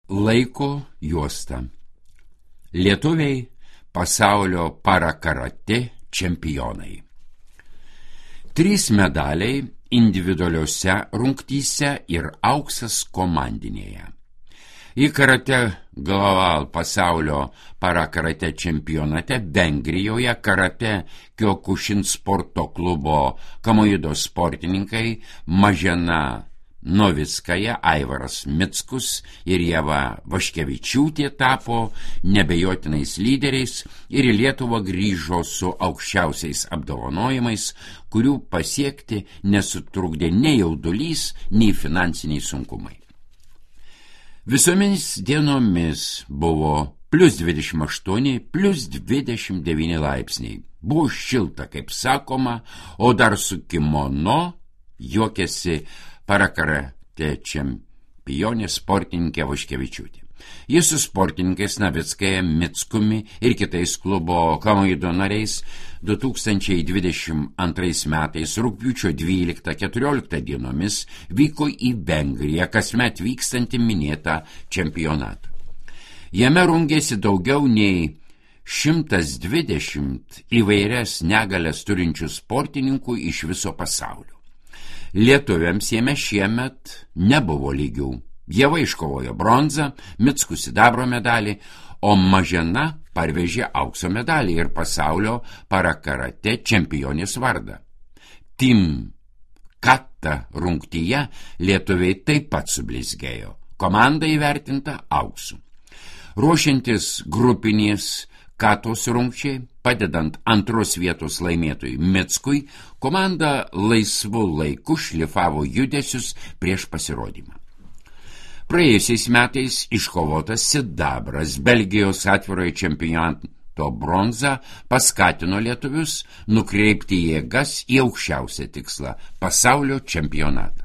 Laiko juosta. Lietuviai pasaulio parakarate čempionai. 3 medaliai individualiuose rungtyse ir auksas komandinėje. Į karate Global pasaulio parakarate čempionate Vengrijoje karate Kyokushin sporto klubo Kamoido sportininkai Mažena Novickaja, Aivaras Mickus ir Ieva Vaškevičiūtė tapo nebejotinais lyderiais ir į Lietuvą grįžo su aukščiausiais apdovanojimais, kurių pasiekti nesutrukdė nei jaudulys, nei finansiniai sunkumai. Visomis dienomis buvo +28, +29 laipsniai. Buvo šilta, kaip sakoma, o dar su kimono juokėsi parakarate čempionė sportininkė Vaškevičiūtė. Jis su sportininkais Novickaja, Mickumi ir kitais klubo Kamoido nariais 2022 metais rugpjūčio 12-14 dienomis vyko į Vengriją, kasmet vykstantį minėtą čempionatą. Jame rungėsi daugiau nei 120 įvairias negalias turinčių sportininkų iš viso pasaulio. Lietuviams jame šiemet nebuvo lygių. Ieva iškovojo bronzą, Mickus sidabro medalį, o Mažena parvežė aukso medalį ir pasaulio parakarate čempionės vardą. Team Kata rungtyje lietuviai taip pat sublizgėjo. Komanda įvertinta auksu. Ruošiantis grupinės Katos rungčiai, padedant 2 vietos laimėtojui Mickui, komanda laisvu laiku šlifavo judesius prieš pasirodymą. Praėjusiais metais iškovotas sidabras Belgijos atvirojo čempionato bronza paskatino lietuvius nukreipti jėgas į aukščiausią tikslą – pasaulio čempionatą.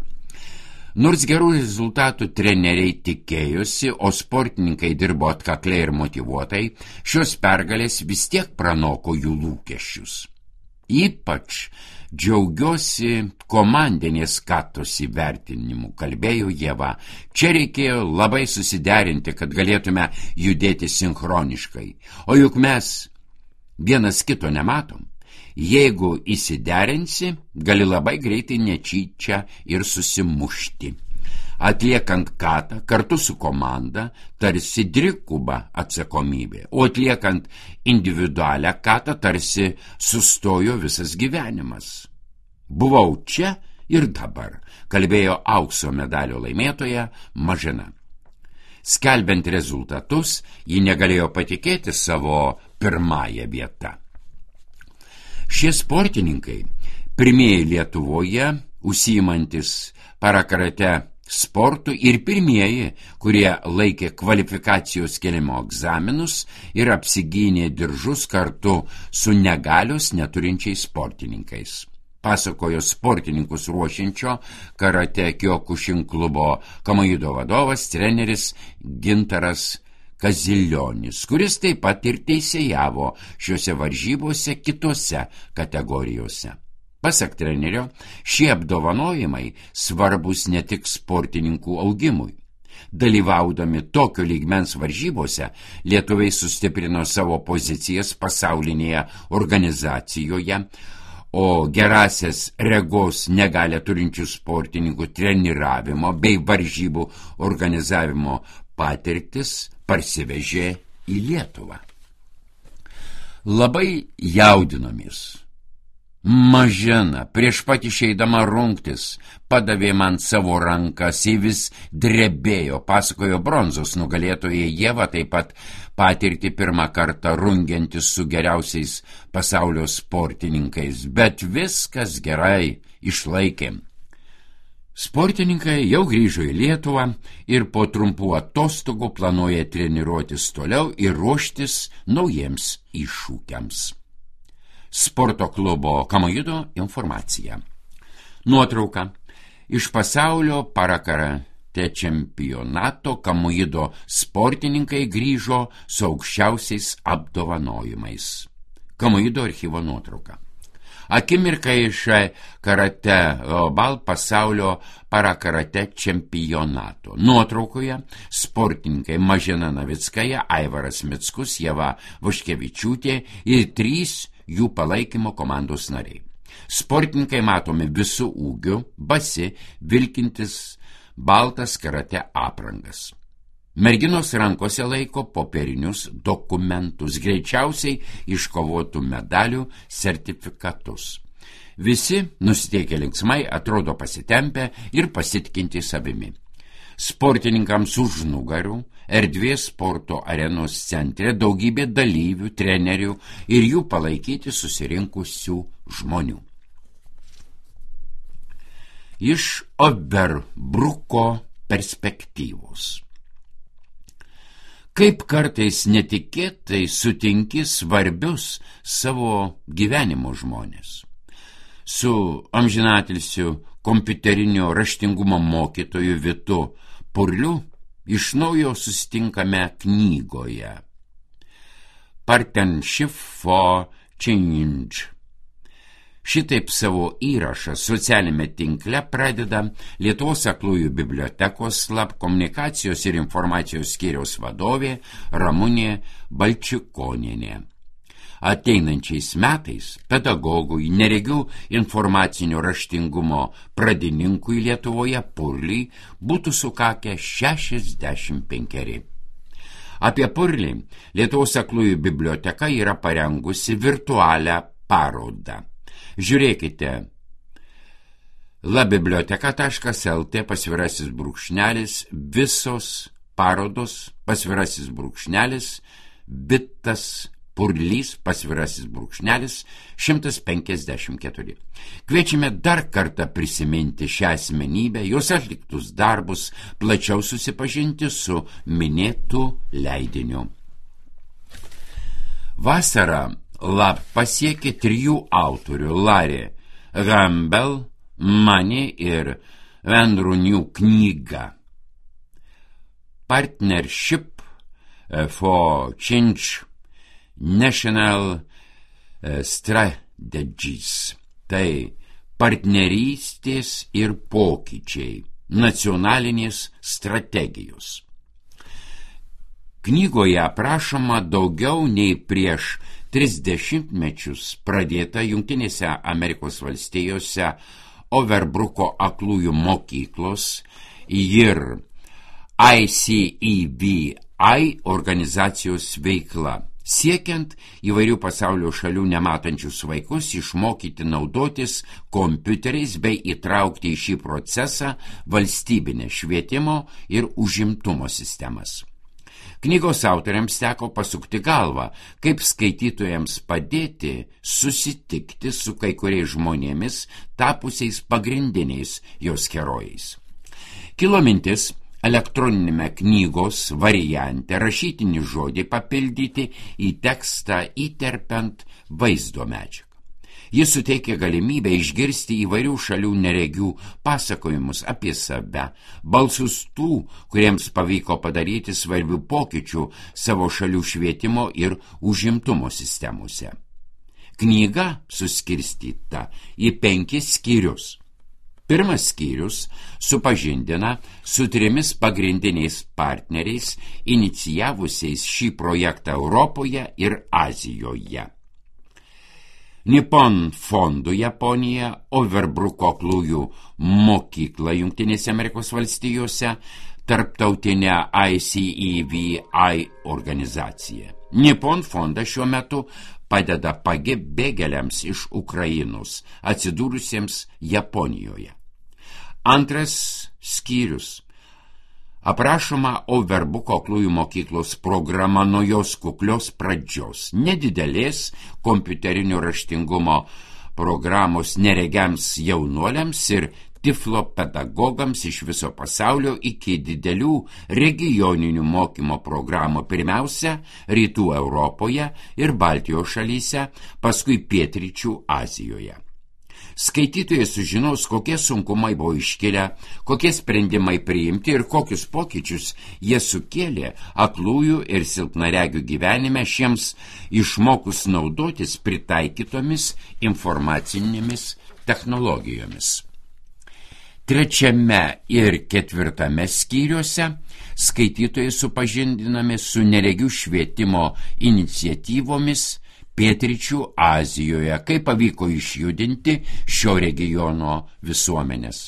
Nors gerų rezultatų treneriai tikėjosi, o sportininkai dirbo atkakliai ir motyvuotai, šios pergalės vis tiek pranoko jų lūkesčius. Ypač džiaugiuosi komandinės Katos įvertinimu, kalbėjo Ieva. Čia reikėjo labai susiderinti, kad galėtume judėti sinchroniškai. O juk mes vienas kito nematom. Jeigu įsiderinsi, gali labai greitai netyčia ir susimušti. Atliekant Katą kartu su komanda tarsi dviguba atsakomybė, o atliekant individualią Katą tarsi sustojo visas gyvenimas. Buvau čia ir dabar, kalbėjo aukso medalio laimėtoja Mažena. Skelbiant rezultatus, ji negalėjo patikėti savo pirmąją vietą. Šie sportininkai, pirmieji Lietuvoje, užsiimantis parakarate sportų ir pirmieji, kurie laikė kvalifikacijos kėlimo egzaminus ir apsigynė diržus kartu su negalios neturinčiais sportininkais. Pasakojo sportininkus ruošiančio karate Kyokushin klubo Kamoido vadovas, treneris Gintaras Kazilionis, kuris taip pat ir teisėjavo šiuose varžybose kitose kategorijose. Pasak trenerio, šie apdovanojimai svarbus ne tik sportininkų augimui. Dalyvaudami tokio lygmens varžybose, lietuviai sustiprino savo pozicijas pasaulinėje organizacijoje, o gerasias regos negalią turinčių sportininkų treniravimo bei varžybų organizavimo patirtis parsivežė į Lietuvą. Labai jaudinomės. Mažena prieš pat išeidama rungtis padavė man savo rankas, ji vis drebėjo, pasakojo bronzos nugalėtoja Ieva, taip pat patirti pirmą kartą rungiantis su geriausiais pasaulio sportininkais, bet viskas gerai, išlaikėm. Sportininkai jau grįžo į Lietuvą ir po trumpų atostogų planuoja treniruotis toliau ir ruoštis naujiems iššūkiams. Sporto klubo Kamoido informacija. Nuotrauka. Iš pasaulio parakarate čempionato Kamoido sportininkai grįžo su aukščiausiais apdovanojimais. Kamoido archyvo nuotrauka. Akimirka iš karate global pasaulio parakarate čempionato. Nuotraukoje sportininkai Mažena Navickaja, Aivaras Mickus, Ieva Vaškevičiūtė ir 3 jų palaikymo komandos nariai. Sportininkai matomi visų ūgių, basi, vilkintis baltas karate aprangas. Merginos rankose laiko popierinius dokumentus, greičiausiai iškovotų medalių sertifikatus. Visi nusiteikę linksmai, atrodo pasitempę ir pasitikinti savimi. Sportininkams už nugarų, erdvės sporto arenos centre daugybė dalyvių, trenerių ir jų palaikyti susirinkusių žmonių. Iš Overbruko perspektyvos. Kaip kartais netikėtai sutinki svarbius savo gyvenimo žmonės. Su amžinatilsiu kompiuterinio raštingumo mokytoju Vitu Purliu iš naujo susitinkame knygoje Partnership for Change. Šitaip savo įrašą socialinėme tinkle pradeda Lietuvos aklųjų bibliotekos slap komunikacijos ir informacijos skyriaus vadovė Ramunė Balčikonienė. Ateinančiais metais pedagogui, neregių informacinio raštingumo pradininkui Lietuvoje Purliui būtų sukakę 65. Apie Purlį Lietuvos aklųjų biblioteka yra parengusi virtualią parodą. Žiūrėkite labiblioteka.lt _ visos parodos _ Vitas Purlys _ 154. Kviečiame dar kartą prisiminti šią asmenybę, jos atliktus darbus, plačiau susipažinti su minėtų leidiniu. Vasarą lab pasiekė 3 autorių Larry Campbell, Money ir Andrew New knyga Partnership for Change National Strategies. Tai partnerystės ir pokyčiai, nacionalinės strategijos. Knygoje aprašoma daugiau nei prieš 30 mečius pradėta Jungtinėse Amerikos valstijose Overbruko aklųjų mokyklos ir ICEVI organizacijos veikla, siekiant įvairių pasaulio šalių nematančius vaikus išmokyti naudotis kompiuteriais bei įtraukti į šį procesą valstybinę švietimo ir užimtumo sistemas. Knygos autoriams teko pasukti galvą, kaip skaitytojams padėti susitikti su kai kuriais žmonėmis, tapusiais pagrindiniais jos herojais. Kilo mintis elektroninėme knygos variante rašytinį žodį papildyti į tekstą įterpiant vaizdo medžiagą. Jis suteikia galimybę išgirsti įvairių šalių neregių pasakojimus apie save, balsus tų, kuriems pavyko padaryti svarbių pokyčių savo šalių švietimo ir užimtumo sistemose. Knyga suskirstyta į 5 skyrius. Pirmas skyrius supažindina su 3 pagrindiniais partneriais, inicijavusiais šį projektą Europoje ir Azijoje. Nippon fondų Japonija, Overbruko aklųjų mokykla Jungtinėse Amerikos valstijose, tarptautinė ICEVI organizacija. Nippon fondas šiuo metu padeda pabėgėliams iš Ukrainos, atsidūrusiems Japonijoje. Antras skyrius. Aprašoma Overbruko aklųjų mokyklos programa nuo jos kuklios pradžios, nedidelės kompiuterinio raštingumo programos neregiams jaunuoliams ir tiflo pedagogams iš viso pasaulio iki didelių regioninių mokymo programų, pirmiausia, Rytų Europoje ir Baltijos šalyse, paskui Pietryčių Azijoje. Skaitytojai sužinos, kokie sunkumai buvo iškilę, kokie sprendimai priimti ir kokius pokyčius jie sukėlė aklųjų ir silpnaregių gyvenime šiems išmokus naudotis pritaikytomis informacinėmis technologijomis. 3 ir 4 skyriuose skaitytojai supažindinami su neregių švietimo iniciatyvomis Pietryčių Azijoje, kaip pavyko išjudinti šio regiono visuomenės.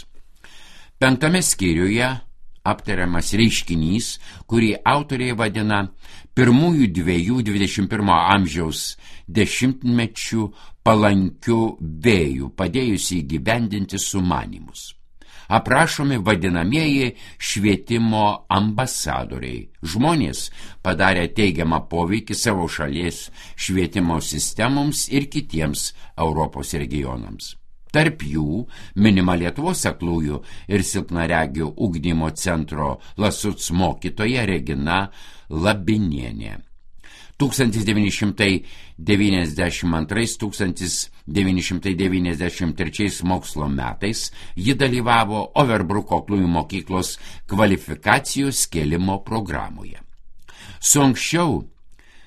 5 skyriuje aptariamas reiškinys, kurį autoriai vadina pirmųjų 2 21 amžiaus dešimtmečių palankių vėjų, padėjusi įgyvendinti sumanymus. Aprašomi vadinamieji švietimo ambasadoriai. Žmonės padarė teigiamą poveikį savo šalies švietimo sistemoms ir kitiems Europos regionams. Tarp jų minima Lietuvos aklųjų ir silpnaregių ugdymo centro Lasuc mokytoja Regina Labinienė. 1992–1993 mokslo metais ji dalyvavo Overbruko aklųjų mokyklos kvalifikacijos kėlimo programoje. Su anksčiau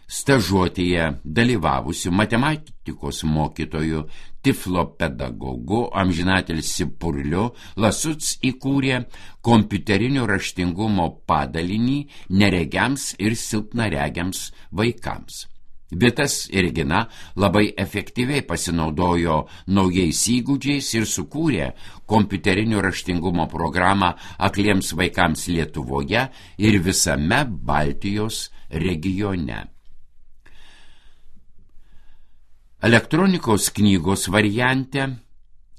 stažuotėje dalyvavusiu matematikos mokytoju, tiflopedagogu amžinatilsį Purliu Lasuc įkūrė kompiuterinio raštingumo padalinį neregiams ir silpnaregiams vaikams. Vitas ir Regina labai efektyviai pasinaudojo naujais įgūdžiais ir sukūrė kompiuterinio raštingumo programą akliems vaikams Lietuvoje ir visame Baltijos regione. Elektronikos knygos variante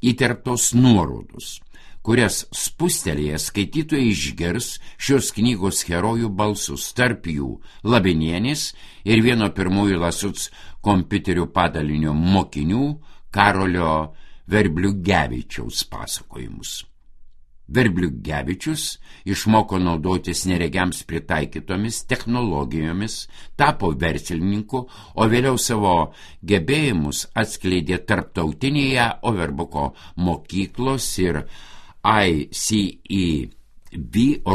įterptos nuorodos, kurias spustelėję skaitytojai išgirs šios knygos herojų balsus, tarp jų Labinienės ir vieno pirmųjų Lasuc kompiuterių padalinio mokinių Karolio Verbliugevičiaus pasakojimus. Verbliugevičius išmoko naudotis neregiams pritaikytomis technologijomis, tapo verslininku, o vėliau savo gebėjimus atskleidė tarptautinėje Overbruko mokyklos ir ICEB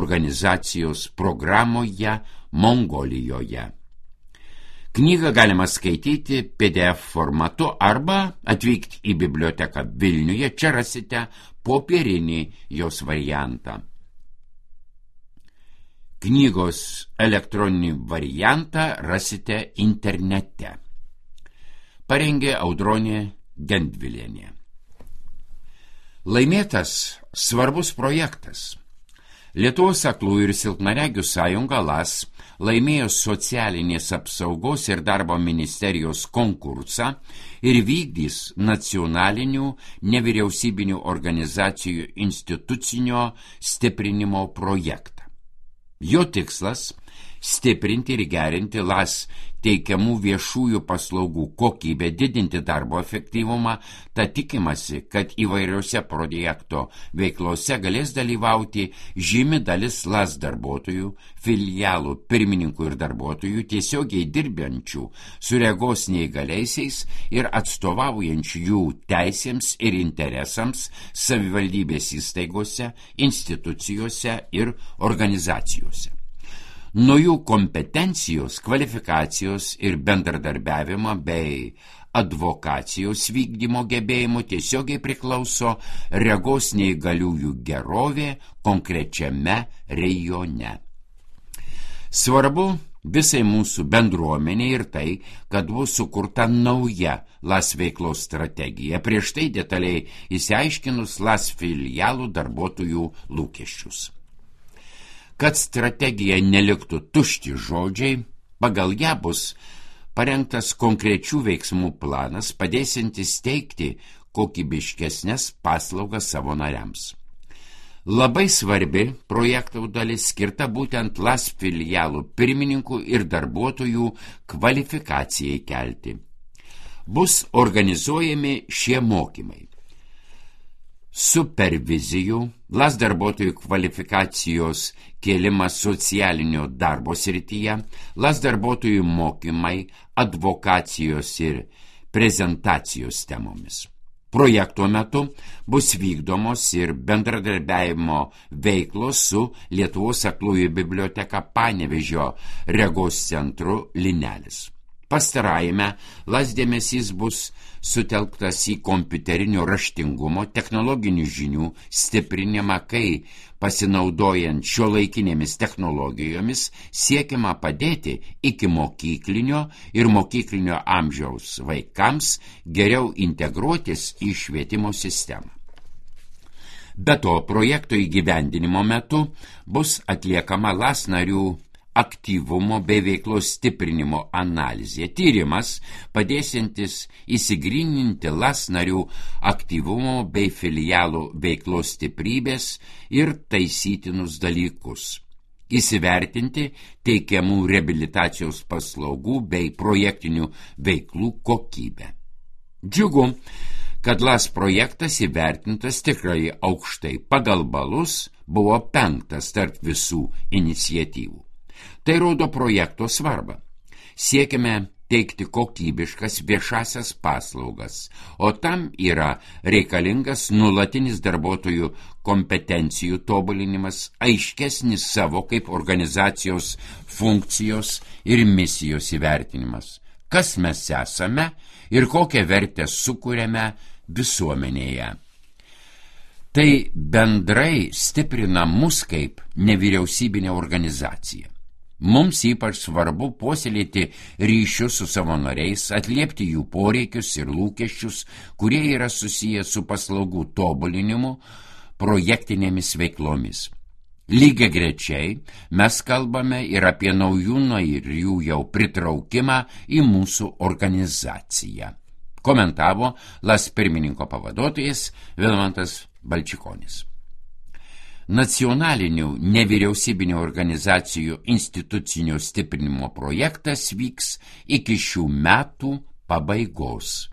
organizacijos programoje Mongolijoje. Knygą galima skaityti PDF formatu arba atvykti į biblioteką Vilniuje, čia rasite popierinį jos variantą. Knygos elektroninį variantą rasite internete. Parengė Audronė Gendvilienė. Laimėtas svarbus projektas. Lietuvos aklųjų ir silpnaregių sąjunga LAS laimėjo socialinės apsaugos ir darbo ministerijos konkursą ir vykdys nacionalinių nevyriausybinių organizacijų institucinio stiprinimo projektą. Jo tikslas – stiprinti ir gerinti LAS teikiamų viešųjų paslaugų kokybę, didinti darbo efektyvumą, tad tikimasi, kad įvairiose projekto veiklose galės dalyvauti žymi dalis LAS darbuotojų, filialų pirmininkų ir darbuotojų, tiesiogiai dirbančių su regos neįgaliaisiais ir atstovaujančių jų teisėms ir interesams savivaldybės įstaigose, institucijose ir organizacijose. Nuo jų kompetencijos, kvalifikacijos ir bendradarbiavimo bei advokacijos vykdymo gebėjimų tiesiogiai priklauso regos neįgaliųjų gerovė konkrečiame rajone. Svarbu visai mūsų bendruomenė ir tai, kad bus sukurta nauja LAS veiklos strategija, prieš tai detaliai išsiaiškinus LAS filialų darbuotojų lūkesčius. Kad strategija neliktų tušti žodžiai, pagal ją bus parengtas konkrečių veiksmų planas, padėsiantis teikti kokybiškesnės paslaugas savo nariams. Labai svarbi projektų dalis skirta būtent LAS filialų pirmininkų ir darbuotojų kvalifikacijai kelti. Bus organizuojami šie mokymai. Supervizijų, LAS darbuotojų kvalifikacijos kėlimas socialinio darbo srityje, LAS darbuotojų mokymai advokacijos ir prezentacijos temomis. Projekto metu bus vykdomos ir bendradarbiavimo veiklos su Lietuvos aklųjų biblioteka Panevėžio regos centru Linelis. Pastarajame LAS dėmesys bus sutelktas į kompiuterinio raštingumo, technologinių žinių stiprinimą, kai pasinaudojant šiuolaikinėmis technologijomis siekiama padėti iki mokyklinio ir mokyklinio amžiaus vaikams geriau integruotis į švietimo sistemą. Be to, projekto įgyvendinimo metu bus atliekama LAS narių aktyvumo bei veiklos stiprinimo analizė. Tyrimas padėsiantis įsigryninti LAS narių aktyvumo bei filialų veiklos stiprybės ir taisytinus dalykus. Įsivertinti teikiamų reabilitacijos paslaugų bei projektinių veiklų kokybę. Džiugu, kad LAS projektas įvertintas tikrai aukštai. Pagal balus buvo 5 tarp visų iniciatyvų. Tai rodo projekto svarbą. Siekime teikti kokybiškas viešasias paslaugas, o tam yra reikalingas nuolatinis darbuotojų kompetencijų tobulinimas, aiškesnis savo kaip organizacijos funkcijos ir misijos įvertinimas. Kas mes esame ir kokią vertę sukuriame visuomenėje. Tai bendrai stiprina mus kaip nevyriausybinė organizacija. Mums ypač svarbu puoselėti ryšius su savo nariais, atliepti jų poreikius ir lūkesčius, kurie yra susiję su paslaugų tobulinimu, projektinėmis veiklomis. Lygiagrečiai mes kalbame ir apie naujų narių jau pritraukimą į mūsų organizaciją. Komentavo LAS pirmininko pavaduotojas Vilmantas Balčikonis. Nacionalinių nevyriausybinių organizacijų institucinio stiprinimo projektas vyks iki šių metų pabaigos.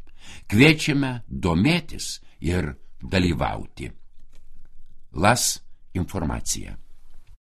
Kviečiame domėtis ir dalyvauti. LAS informacija.